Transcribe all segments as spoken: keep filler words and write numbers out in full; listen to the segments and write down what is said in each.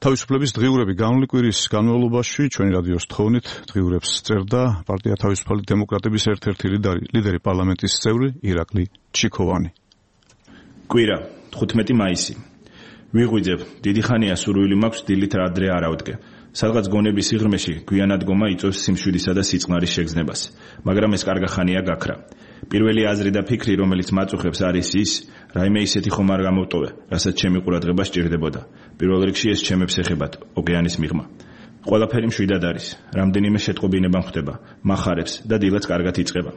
თავისუფლების დღიურები განვლილი კვირის განმავლობაში ჩვენი რადიოს თხოვნით დღიურებს წერდა პარტია თავისუფალი დემოკრატების ერთ-ერთი ლიდერი, ლიდერი პარლამენტის წევრი ირაკლი ჩიქოვანი. კვირა, თხუთმეტი მაისი. ვიღვიძებ, დიდი ხანია სურვილი მაქვს დილით ადრე არ ავდგე. სადღაც გონების სიღრმეში გვიანადგომა იწვევს სიმშვიდისა და სიწყნარის შეგრძნებას, მაგრამ ეს კარგა ხანია გაქრა. პირველი აზრი და ფიქრი, რომელიც მაწუხებს, არის ის, რაიმე ისეთი ხომ არ გამოვტოვე, რასაც ჩემი ყურადღება სჭირდებოდა. პირველ რიგში ეს ჩემებს ეხებათ, ოკეანის მიღმა. ყველაფერი მშვიდად არის, რამდენიმე შეტყობინება ხდება, მახარებს და დილაც კარგად იწყება.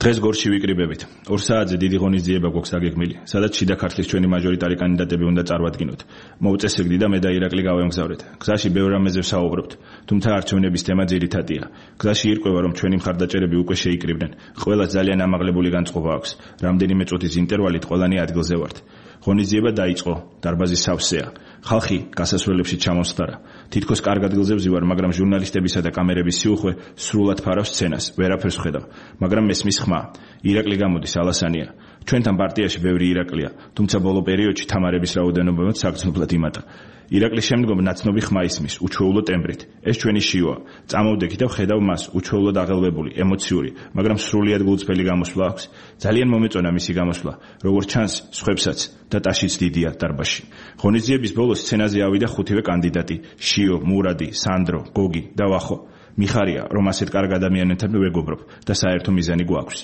დღეს გორში ვიკრიბებით. ორ საათზე დიდი ღონისძიება გვაქვს დაგეგმილი, სადაც შიდა ქართლის ჩვენი მაჟორიტარი კანდიდატები უნდა წარვადგინოთ. მოუწესრიგდი და მე და ირაკლი გავემგზავრეთ. გზაში ბევრ რამეზე ვსაუბრობთ, თუმცა არჩევნების თემა ძირითადია. გზაში ირკვევა, რომ ჩვენი მხარდაჭერები უკვე შეიკრიბნენ. ყველას ძალიან ამაღლებული განწყობა აქვს. რამდენიმე წუთის ინტერვალით ყველანი ადგილზე ვართ. ღონისძიება დაიწყო, დარბაზი სავსეა. ხალხი გასასვლელებში ჩამოსხდარა. თითქოს კარგ ადგილზე ვზივარ, მაგრამ ჟურნალისტებისა და კამერების სიუხვე სრულად ფარავს სცენას, ვერაფერს ვხედავ. მაგრამ მესმის ხმა, ირაკლი გამოდის ალასანია. ჩვენთან პარტიაში ბევრი ირაკლია, თუმცა ბოლო პერიოდში თამარების რაოდენობაც საგრძნობლად იმატა. ირაკლის შემდგომ ნაცნობი ხმა ისმის, უჩვეულო ტემბრით. ეს ჩვენი შიოა. წამოვდექი და ვხედავ მას, უჩვეულოდ აღელვებული, ემოციური, მაგრამ სრულიად გულწრფელი გამოსვლა აქვს. ძალიან მომეწონა მისი გამოსვლა, როგორც ჩანს, სხვებსაც და ტაშიც დიდია დარბაზში. ღონისძიების ბოლოს სცენაზე ავიდა ხუთივე კანდიდატი: შიო, მურადი, სანდრო, გოგი და ვახო. მიხარია, რომ ასეთ კარგ ადამიანებთან ვეგობრობ და საერთო მიზანი გვაქვს.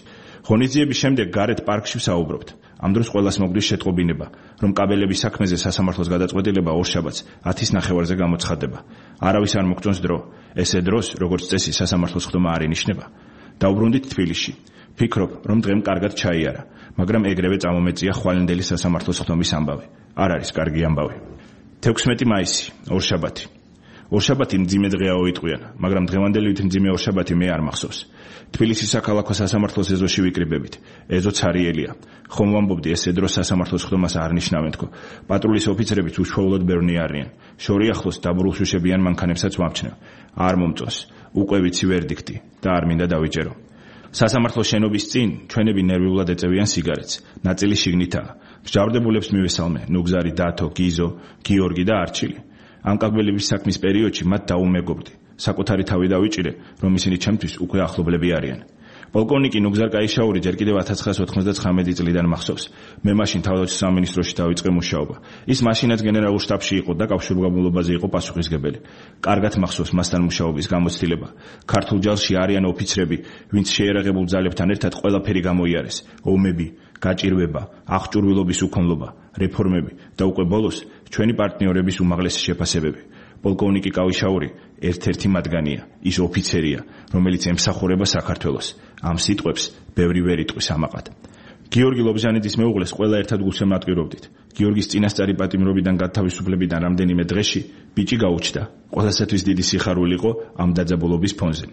ღონისძიების შემდეგ გარეთ პარკში ვსაუბრობთ. ამ დროს ყველას მოგდის შეტყობინება, რომ კაბელების საქმეზე სასამართლოს გადაწყვეტილება ორშაბათს ათის ნახევარზე გამოცხადდება. არავის არ მოგწონს დრო. ესე დროს, როგორც წესი, სასამართლოს ხდომა არ ინიშნება. დავბრუნდით თბილისში. ფიქრობ, რომ დღემ კარგად ჩაიარა, მაგრამ ეგრევე წამომეწია ხვალინდელი სასამართლოს ხდომის ამბავი. არ არის კარგი ამბავი. თექვსმეტი მაისი, ორშაბათი. ორშაბათი მძიმე დღეა ოიტყვიან, მაგრამ დღევანდელი მძიმე ორშაბათი მე არ მახსოვს. თბილისის საქალაქო სასამართლოს ეზოში ვიკრიბებით. ეზო ცარიელია. ხომ ვამბობდი, ესე დროს სასამართლოს ხდომას არ ნიშნავენ თქო. პატრულის ოფიცრებიც უშუალოდ ბევრნი არიან. შორი ახლოს დაბრუნშუშებიან მანქანებსაც ვამჩნევ. არ მომწონს. უკვე ვიცი ვერდიქტი და არ მინდა დავიჭერო. სასამართლოს შენობის წინ ჩვენები ნერვიულად ეწევიან სიგარეტს. ნაწილი შიგნითაა. მსჯავრდებულებს მივესალმე: ნუგზარი, დათო, გიზო, გიორგი და არჩილი. ამ კაბელების საქმის პერიოდში მათ დაუმეგობრდი. საკუთარი თავი დავიჭირე, რომ ისინი ჩემთვის უკვე ახლობლები არიან. პოლკოვნიკი ნუგზარ კაიშაური ჯერ კიდევ ათას ცხრაას ოთხმოცდათხრამეტი წლიდან მახსოვს. მე მაშინ თავდაცვის სამინისტროში დავიწყე მუშაობა. ის მაშინაც გენერალურ შტაბში იყო და კავშირგაბმულობაზე იყო პასუხისმგებელი. კარგად მახსოვს მასთან მუშაობის გამოცდილება. ქართულ ჯარში არიან ოფიცრები, ვინც შეერაღებულ ძალებთან ერთად ყველაფერი გამოიარეს: ომები, გაჭირვება, აღჭურვილობის უქონლობა, რეფორმები და უკვე ბოლოს ჩვენი პარტნიორების უმაღლესი შეფასებები. პოლკოვნიკი კავიშაური ერთ-ერთი მათგანია, ის ოფიცერია, რომელიც ემსახურება საქართველოს. ამ სიტყვებს ბევრი ვერ იტყვის ამაყად. გიორგი ლობჟანიძის მეუღლეს ყველა ერთად გულშემატკივრობდით. გიორგის წინასწარი პატიმრობიდან გათავისუფლებიდან რამდენიმე დღეში ბიჭი გაუჩნდა. ყველასათვის დიდი სიხარული იყო ამ დაძაბულობის ფონზე.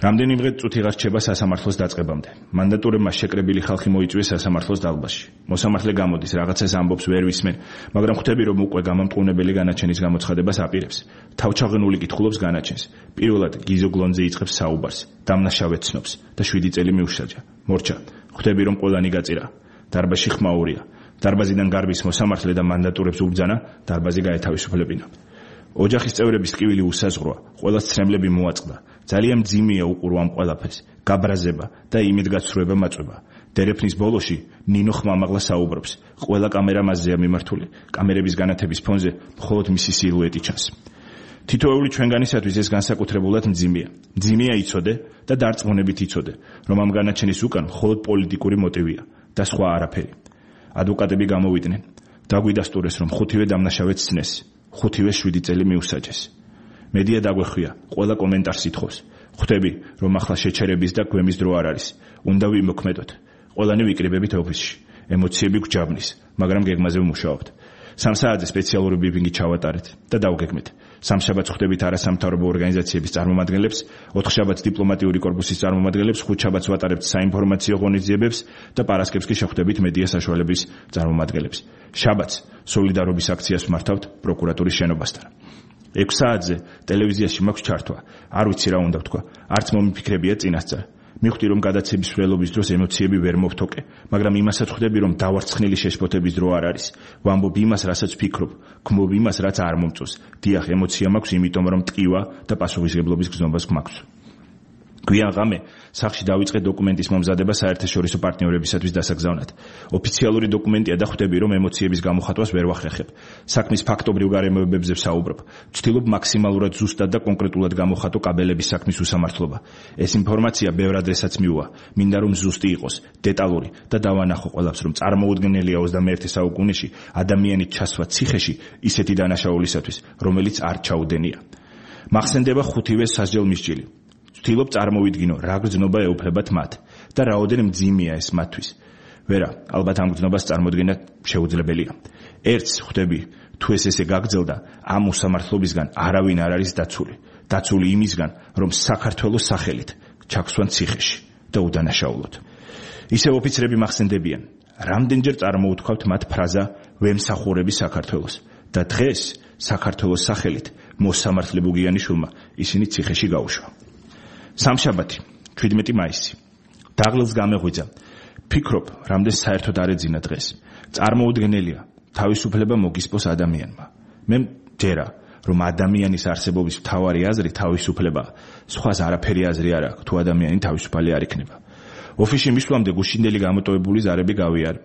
რამდენიმე წუთი აღარ რჩება სასამართლოს დაწყებამდე. მანდატურებმა შეკრებილი ხალხი მოიწვიეს სასამართლოს დალბაზში. მოსამართლე გამოდის, რაღაცას ამბობს, ვერ ვისმენ, მაგრამ ხვდები, რომ უკვე გამამტყუნებელი განაჩენის გამოცხადებას აპირებს. თავჩაღენული კითხულობს განაჩენს. პირველად გიზო გლონზე იწყებს საუბარს, დამნაშავე ცნობს და შვიდი წელი მიუშაჯა. მორჩა, ხვდები, რომ ყველანი გაწირა. დარბაზში ხმაურია. დარბაზიდან გარბის მოსამართლე და მანდატურებს უბძანა, დარბაზი გაეთავისუფლებინა. ოჯახის წევრების ტკივილი უსაზღვროა, ყველას ცრემლები მოაწყდა. ძალიან მძიმეა უყურო ამ ყველაფერს, გაბრაზება და იმედგაცრუება მაწვება. დერეფნის ბოლოში ნინო ხმამაღლა საუბრობს. ყველა კამერა მასზეა მიმართული. კამერების განათების ფონზე მხოლოდ მისი სილუეტი ჩანს. თითოეული ჩვენგანისათვის ეს განსაკუთრებულად მძიმეა. მძიმეა იცოდე და დარწმუნებით იცოდე, რომ ამ განაჩენის უკან მხოლოდ პოლიტიკური მოტივია და სხვა არაფერი. ადვოკატები გამოვიდნენ. დაგვიდასტურეს, რომ ხუთივე დამნაშავეც ცნეს. ხუთივე შვიდი წელი მიუსაჯეს. მედია დაგვეხვია, ყველა კომენტარს ითხოვს. ხვდები, რომ ახლა შეჩერების და გვემის დრო არ არის. უნდა ვიმოქმედოთ. ყველანი ვიკრიბებით ოფისში. ემოციები გვჯაბნის, მაგრამ გეგმაზე ვმუშაობთ. სამ საათზე სპეციალური ბრიფინგი ჩავატარეთ და დავგეგმეთ. სამშაბათს ხვდებით არასამთავრობო ორგანიზაციების წარმომადგენლებს, ოთხშაბათს დიპლომატიური კორპუსის წარმომადგენლებს, ხუთშაბათს ვატარებთ საინფორმაციო ღონისძიებებს და პარასკევს კი შეხვდებით მედია საშუალების წარმომადგენლებს. შაბათს სოლიდარობის აქციას ვმართავთ პროკურატურის შენობასთან. ექვს საათზე ტელევიზიაში მაქვს ჩართვა. არ ვიცი რა უნდა ვთქვა. არც მომიფიქრებია წინასწარ. მივხვდი რომ გადაცემის სვლელობის დროს ემოციები ვერ მოვთოკე, მაგრამ იმასაც ხვდები რომ დავარცხნილი შეშფოთების დრო არ არის. ვამბობ იმას, რასაც ვფიქრობ, გმობ იმას, რაც არ მომწონს. დიახ, ემოცია მაქვს, იმიტომ რომ ტკივა და პასუხისმგებლობის გზნობას გვაქვს. გვიან ღამე სახლში დავიწყე დოკუმენტის მომზადება საერთაშორისო პარტნიორებისათვის დასაგზავნად. ოფიციალური დოკუმენტია და ხვდები რომ ემოციების გამოხატვას ვერ ვახერხებ. საქმის ფაქტობრივ გარემოებებზე ვსაუბრობ. ვცდილობ მაქსიმალურად ზუსტად და კონკრეტულად გამოხატო კაბელების საქმის უსამართლობა. ეს ინფორმაცია ბევრ ადრესაც მიუვა. მინდა რომ ზუსტი იყოს, დეტალური და დავანახო ყველაფერს, რომ წარმოუდგენელია ოცდამეერთე საუკუნეში ადამიანის ჩასვლა ციხეში ისეთი დანაშაულისათვის, რომელიც არ ჩაუდენია. მახსენდება ხუთივე სასჯელ მისჯილი. ვთილობ წარმოვიდგინო, რა გრძნობა ეუფლებათ მათ და რაოდენ მძიმეა ეს მათთვის. ვერა, ალბათ ამ გრძნობას წარმოდგენა შეუძლებელია. ერთს ხვდები, თუ ეს ესე გაგრძელდა, ამ უსამართლობისგან არავინ არ არის დაცული. დაცული იმისგან, რომ საქართველოს სახელით ჩაგვსვან ციხეში და უდანაშაულოთ. ისევ ოფიცრები მახსენდებიან, რამდენჯერ წარმოუთქვავთ მათ ფრაზა ვემსახურები საქართველოს და დღეს საქართველოს სახელით მოსამართლე ბუგიანიშვილმა ისინი ციხეში გაუშვა. სამშაბათი, შვიდმეტი მაისი. დაღლილს გამეღვიძა. ფიქრობ, რამდენ საერთოდ არ ეძინა დღეს. წარმოუდგენელია, თავისუფლება მოგისპოს ადამიანმა. მე მჯერა, რომ ადამიანის არსებობის მთავარი აზრი თავისუფლებაა. სხვას არაფერი აზრი არ აქვს, თუ ადამიანი თავისუფალი არ იქნება. ოფისში მისვლამდე გუშინდელი გამოტოვებული ზარები გავიარე.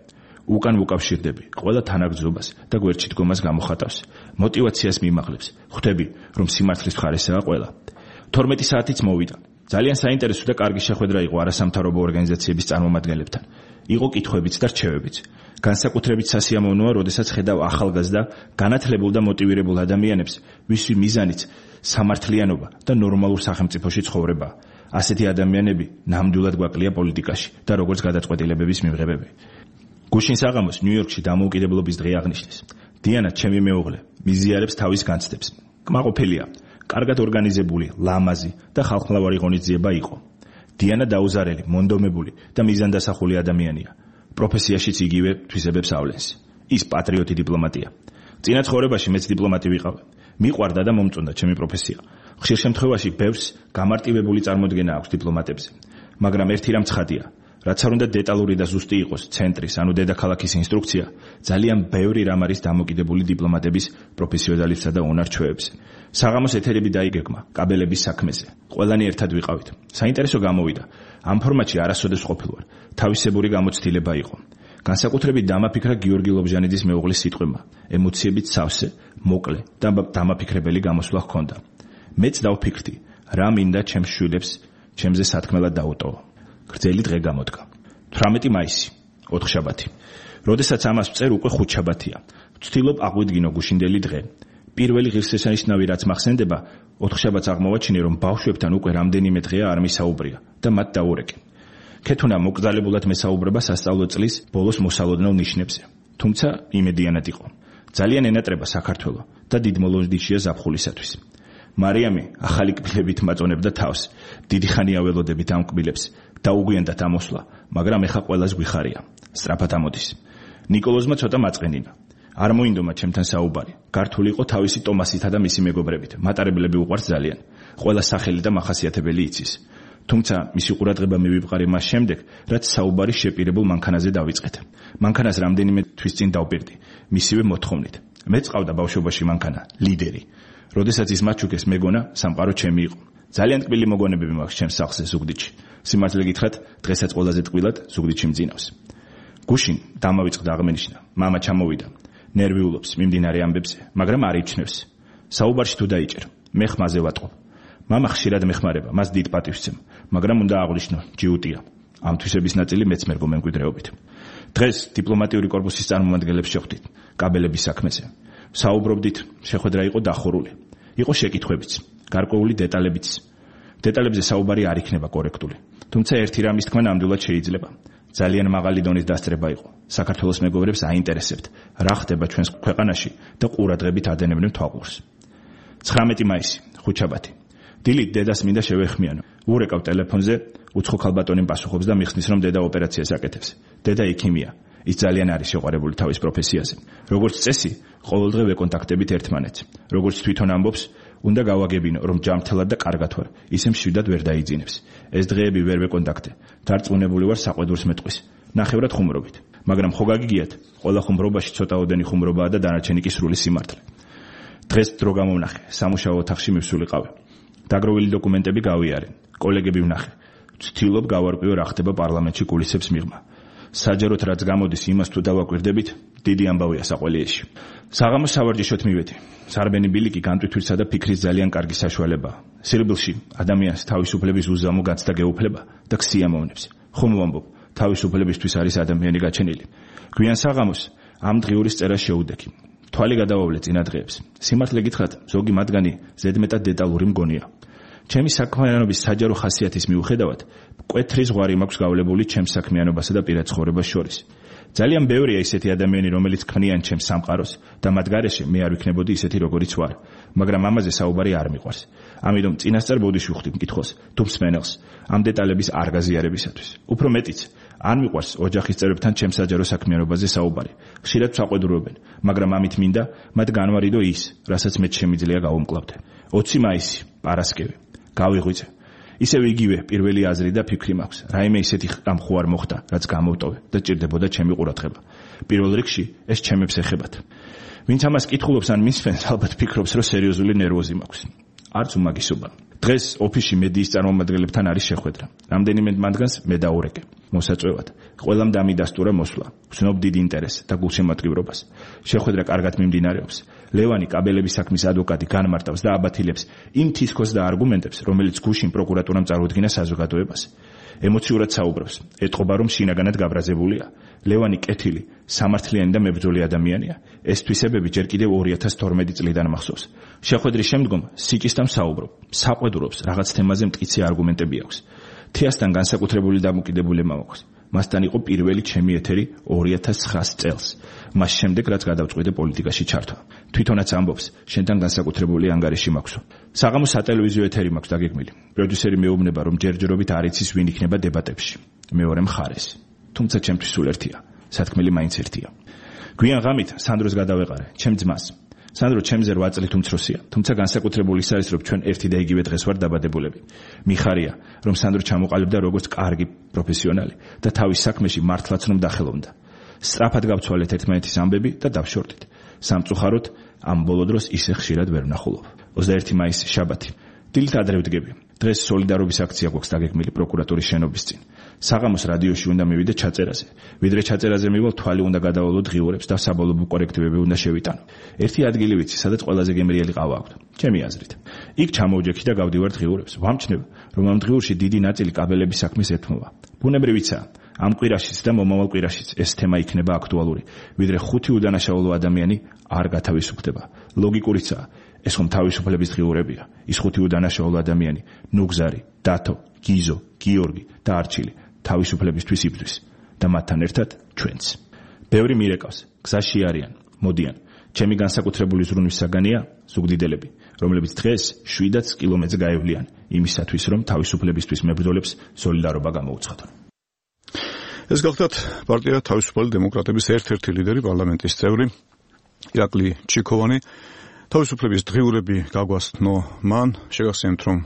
უკან ვუკავშირდები, ყველა თანაგრძნობას და გვერდში დგომას გამოხატავს. მოტივაციას მიმაღლებს. ხვდები, რომ სიმართლის მხარესაა ყველა. თორმეტი საათიც მოვიდა. ძალიან საინტერესო და კარგი შეხვედრა იყო არასამთავრობო ორგანიზაციების წარმომადგენლებთან. იყო კითხვებიც და რჩევებიც. განსაკუთრებით სასიამოვნოა, როდესაც ხედავ ახალგაზრდა, განათლებულ და მოტივირებულ ადამიანებს, ვისვი მიზანიც სამართლიანობა და ნორმალურ სახელმწიფოში ცხოვრება. ასეთი ადამიანები ნამდვილად გვაკლია პოლიტიკაში და როგორც გადაწყვეტილებების მიღებები. გუშინ საღამოს ნიუ-იორკში დამოუკიდებლობის დღე აღნიშნეს. დიანა, ჩემი მეუღლე, მიზიარებს თავის განცდებს. კმაყოფილია. კარგად ორგანიზებული, ლამაზი და ხალხმლავარი ღონისძიება იყო. დიანა დაუზარელი, მონდომებული და მიზანდასახული ადამიანია. პროფესიაშიც იგივე თვისებებს ავლენს. ის პატრიოტი დიპლომატია. წინა ცხოვრებაში მეც დიპლომატი ვიყავ. მიყვარდა და მომწონდა ჩემი პროფესია. ხშირ შემთხვევაში ბევრს გამარტივებული წარმოდგენა აქვს დიპლომატებზე. მაგრამ ერთი რამ ცხადია, რაც არ უნდა დეტალური და ზუსტი იყოს ცენტრის, ანუ დედაქალაქის ინსტრუქცია, ძალიან ბევრი რამ არის დამოკიდებული დიპლომატების პროფესიონალიზმსა და უნარ-ჩვევებზე. საღამოს ეთერები დაიგეგმა კაბელების საქმეზე. ყველანი ერთად ვიყავით. საინტერესო გამოვიდა. ამ ფორმატში არასოდეს ყოფილვარ. თავისებური გამოცდილება იყო. განსაკუთრებით დამაფიქრა გიორგი ლობჟანიძის მეუღლის სიტყვებმა. ემოციებით სავსე, მოკლე და დამაფიქრებელი გამოსვლა ჰქონდა. მეც დავფიქრდი, რა მინდა ჩემს შვილებს ჩემზე სათქმელად დაუტოვო. გრძელი დღე გამოდგა. თვრამეტი მაისი, ოთხშაბათი. როდესაც ამას ვწერ, უკვე ხუთშაბათია. ვცდილობ აღვიდგინო გუშინდელი დღე. პირველი ღირსშესანიშნავი რაც მახსენდება, ოთხშაბათს აღმოვაჩინე, რომ ბავშვებთან უკვე რამდენიმე დღეა არ მისაუბრია და მათ დაურეკე. ქეთუნა მოკრძალებულად მესაუბრება სასწავლო წლის ბოლოს მოსალოდნელ ნიშნებზე. თუმცა იმედიანად იყო. ძალიან ენატრება საქართველო და დიდ მოლოდინშია ზაფხულისათვის. მარიამი ახალი კბილებით მაწონებდა თავს. დიდი ხანია ველოდებით ამ კბილებს. დაუგვიანდათ ამოსვლა, მაგრამ ეხა ყველას გვიხარია. სწრაფად ამოდის. ნიკოლოზმა ცოტა მაწყენინა. არ მოინდომა ჩემთან საუბარი. გართული იყო თავისი ტომასითა და მისი მეგობრებით. მატარებლები უყვარს ძალიან. ყველა სახელი და მახასიათებელი იცის. თუმცა მისი ყურადღება მივიპყარი მას შემდეგ, რაც საუბარი შეპირებულ მანქანაზე დავიწყეთ. მანქანას რამდენიმე თვის წინ დავპირდი, მისივე მოთხოვნით. მეც ყავდა ბავშვობაში მანქანა, ლიდერი. როდესაც ის მაჩუკეს მეგონა, სამყარო ჩემი იყო. ძალიან ტკბილი მოგონებები მაქვს ჩემს სახლზე ზუგდიდში. სიმართლე გითხრათ, დღესაც ყველაზე ტკბილად ზუგდიდში მძინავს. გუშინ დამავიწყდა აღმენიშნა, მამა ჩამოვიდა. ნერვიულობს მიმდინარე ამბებზე, მაგრამ არ იჩნევს. საუბარში თუ დაიჭერ, მე ხმაზე ვატყობ. მამა ხშირად მეხმარება, მას დიდ პატივს ვცემ, მაგრამ უნდა აღვნიშნო, ჯიუტია. ამ თვისების ნაწილი მეც მერგო მემკვიდრეობით. დღეს დიპლომატიური კორპუსის წარმომადგენლებს შეხვდით, კაბელების საქმეზე. საუბრობდით, შეხვედრა იყო დახურული. იყო შეკითხვებიც, გარკვეული დეტალებიც. დეტალებზე საუბარი არ იქნება კორექტული. თუმცა ერთი რამის თქმა ნამდვილად შეიძლება. ძალიან მაღალი დონის დასწრება იყო. საქართველოს მეგობრებს აინტერესებთ, რა ხდება ჩვენს ქვეყანაში და ყურადღებით ადენებდნენ თვალყურს. ცხრამეტი მაისი, ხუთშაბათი. დილით დედას მინდა შევეხმიანო. ურეკავ ტელეფონზე, უცხო ქალბატონი პასუხობს და მიხსნის, რომ დედა ოპერაციას აკეთებს. დედა ექიმია. ის ძალიან არის შეყვარებული თავის პროფესიაზე. როგორც წესი, ყოველდღე ვეკონტაქტებით ერთმანეთს. როგორც თვითონ ამბობს, უნდა გავაგებინო, რომ ჯანმრთელად და კარგად ვარ, ისე მშვიდად ვერ დაიძინებს. ეს დღეები ვერ ვეკონტაქტე. დარწმუნებული ვარ საყვედურს მეტყვის. ნახევრად ხუმრობით. მაგრამ ხო გაგიგიათ, ყველა ხუმრობაში ცოტაოდენი ხუმრობაა და დანარჩენი კი სრული სიმართლე. დღეს დრო გამოვნახე, სამუშაო ოთახში მივსულიყავი. დაგროვილი დოკუმენტები გავიარე, კოლეგები ვნახე. ვცდილობ გავარკვიო რა ხდება პარლამენტში კულისებს მიღმა. საჯაროდ რაც გამოდის იმას თუ დავაკვირდებით, დიდი ამბავია საყოლიეში. საღამოს სავარჯიშოთ მივედი. სარბენი ბილიკი განტვირთვისა და ფიქრის ძალიან კარგი საშუალებაა. სირბილში ადამიანს თავისუფლების უზამო გაცდა გეუფლება და ქსიამოვნებს. ხომ ვამბობ, თავისუფლებისთვის არის ადამიანი გაჩენილი. გვიან საღამოს ამ დღიურის წერა შეუდექი. თვალი გადავავლე წინა დღეებს. სიმართლე გითხრათ, ზოგი მათგანი ზედმეტად დეტალური მგონია. ჩემი საქმიანობის საჯარო ხასიათის მიუხედავად, მკვეთრი ზღვარი მაქვს გავლებული ჩემს საქმიანობასა და პირად ცხოვრებას შორის. ძალიან ბევრია ისეთი ადამიანი, რომელიც ქმნიან ჩემს სამყაროს და მათ გარეშე მე არ ვიქნებოდი ისეთი როგორიც ვარ, მაგრამ ამაზე საუბარი არ მიყვარს. ამიტომ წინასწარ ბოდიში ვხვდი მკითხოს, თუ მსმენელს ამ დეტალების არ გაზიარებისათვის. უფრო მეტიც, არ მიყვარს ოჯახის წევრებთან ჩემს საჯარო საქმიანობაზე საუბარი. ხშირად ვსაყვედურობენ, მაგრამ ამით მინდა მათ განვარიდო ის, რასაც მეც შემიძლია გავუმკლავდე. ოცი მაისი, პარასკევი. გავიღვიძე. ისევ იგივე პირველი აზრი და ფიქრი მაქვს. რაიმე ისეთი ამ ხო არ მოხდა, რაც გამოვტოვე და ჭირდებოდა ჩემი ყურადღება. პირველ რიგში ეს ჩემებს ეხებათ. ვინც ამას კითხულობს ან მისვენს, ალბათ ფიქრობს, რომ სერიოზული ნერვოზი მაქვს. არც უმაგისობა. დღეს ოფისში მედიის წარმომადგენლებთან არის შეხვედრა. რამდენიმე მათგანს მე დაურეკე. მოსაწვევად. ყველამ დამიდასტურა მოსვლა. ვცნობ დიდ ინტერესს და გულშემატკივრობას. შეხვედრა კარგად მიმდინარეობს. ლევანი კაბელების საქმის ადვოკატი განმარტავს და აბათილებს იმ თისქოს და არგუმენტებს, რომელიც გუშინ პროკურატურამ წარუდგინა საზოგადოებას. ემოციურად საუბრობს, ეტყობა რომ შინაგანად გაბრაზებულია. ლევანი კეთილი, სამართლიანი და მებრძოლი ადამიანია. ეს თვისებები ჯერ კიდევ ორი ათას თორმეტი წლიდან მახსოვს. შეხვედრის შემდგომ სიკისთან საუბრობ, საყვედურობს, რაღაც თემაზე მტკიცე არგუმენტები აქვს. თეასთან განსაკუთრებული დამოკიდებულება მაქვს. მასთან იყო პირველი ჩემი ეთერი ორი ათას ცხრა წელს. მას შემდეგ რაც გადავწყვიტე პოლიტიკაში ჩართვა. თვითონაც ამბობს, შენთან განსაკუთრებული ანგარიში მაქვსო. საღამოს სატელევიზიო ეთერი მაქვს დაგეგმილი. პროდიუსერი მეუბნება, რომ ჯერჯერობით არ იცის ვინ იქნება დებატებში. მეორე მხარეს. თუმცა ჩემთვის სულ ერთია. სათქმელი მაინც ერთია. გვიან ღამით სანდროს გადავეყარე, ჩემ ძმას. სანდრო ჩემზე რვა წლით უმცროსია, თუმცა განსაკუთრებული ის არის, რომ ჩვენ ერთი და იგივე დღეს ვარ დაბადებულები. მიხარია, რომ სანდრო ჩამოყალიბდა როგორც კარგი პროფესიონალი და თავის საქმეში მართლაც რომ დახელოვნდა. სწრაფად გავცვალეთ ერთმანეთის ამბები და დავშორდით. სამწუხაროდ ამ ბოლო დროს ისე ხშირად ვერ ვნახულობ. ოცდაერთი მაისი შაბათი. დილით ადრე ვდგები. დღეს სოლიდარობის აქცია გვაქვს დაგეგმილი პროკურატურის შენობის წინ. საღამოს რადიოში უნდა მივიდე ჩაწერაზე. ვიდრე ჩაწერაზე მივალ, თვალი უნდა გადავალო დღიურებს და საბოლოო კორექტივები უნდა შევიტანო. ერთი ადგილი ვიცი, სადაც ყველაზე გემრიელი ყავა აქვს. ჩემი აზრით. იქ ჩამოვჯექი და გავდივარ დღიურებს. ვამჩნევ, რომ ამ დღიურში დიდი ნაწილი კაბელების საქმის ეთმობა. ბუნებრივიცაა, ამ კვირაშიც და მომავალ კვირაშიც ეს თემა იქნება აქტუალური, ვიდრე ხუთი უდანაშაულო ადამიანი არ გათავისუფლდება. ლოგიკურიცაა, ეს ხომ თავისუფლების დღიურებია. ის ხუთი უდანაშაულო ადამიანი, ნუგზარი, დათო, გიზო, გიორგი და არჩილი თავისუფლებისთვის იბრძვის და მათთან ერთად ჩვენც. ბევრი მირეკავს, გზაში არიან, მოდიან. ჩემი განსაკუთრებული ზრუნვის საგანია ზუგდიდელები, რომლებიც დღეს შვიდაც კილომეტრს გაევლიან იმისათვის, რომ თავისუფლებისთვის მებრძოლებს სოლიდარობა გამოუცხადონ. ეს გახლდათ პარტია თავისუფალი დემოკრატების ერთ-ერთი ლიდერი, პარლამენტის წევრი ირაკლი ჩიქოვანი. თავისუფლების დღიურები გაგვასწნო მან, შეგახსენებთ, რომ